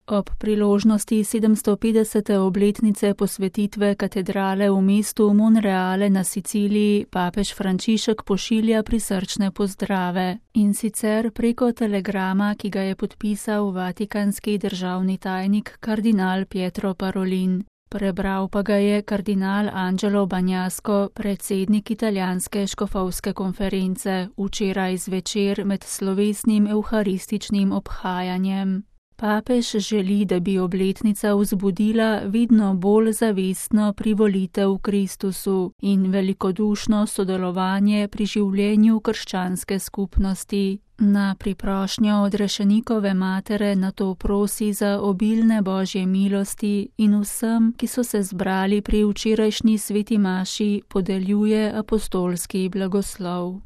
Ob priložnosti 750. obletnice posvetitve katedrale v mestu Monreale na Siciliji papež Frančišek pošilja prisrčne pozdrave, in sicer preko telegrama, ki ga je podpisal vatikanski državni tajnik kardinal Pietro Parolin. Prebral pa ga je kardinal Angelo Bagnasco, predsednik italijanske škofovske konference, včeraj zvečer med slovesnim evharističnim obhajanjem. Papež želi, da bi obletnica vzbudila vidno bolj zavestno privolitev Kristusu in velikodušno sodelovanje pri življenju krščanske skupnosti. Na priprošnjo odrešenikove matere nato prosi za obilne božje milosti in vsem, ki so se zbrali pri včerajšnji sveti maši, podeljuje apostolski blagoslov.